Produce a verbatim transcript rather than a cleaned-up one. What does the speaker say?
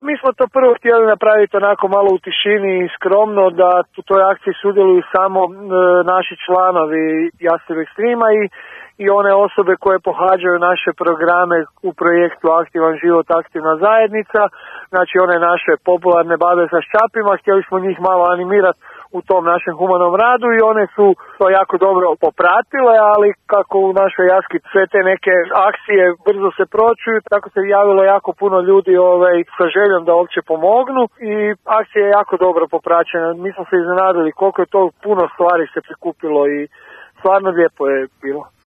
Mi smo to prvo htjeli napraviti onako malo u tišini i skromno, da u toj akciji sudjeluju samo e, naši članovi Jastreb Extrema i, i one osobe koje pohađaju naše programe u projektu Aktivan život, aktivna zajednica, znači one naše popularne babe sa ščapima, htjeli smo njih malo animirati u tom našem humanom radu i one su to jako dobro popratile, ali kako u našoj Jaski sve te neke akcije brzo se pročuju, tako se javilo jako puno ljudi ovaj, sa željom da uopće pomognu i akcija je jako dobro popraćena. Mi smo se iznenadili koliko je to puno stvari se prikupilo i stvarno lijepo je bilo.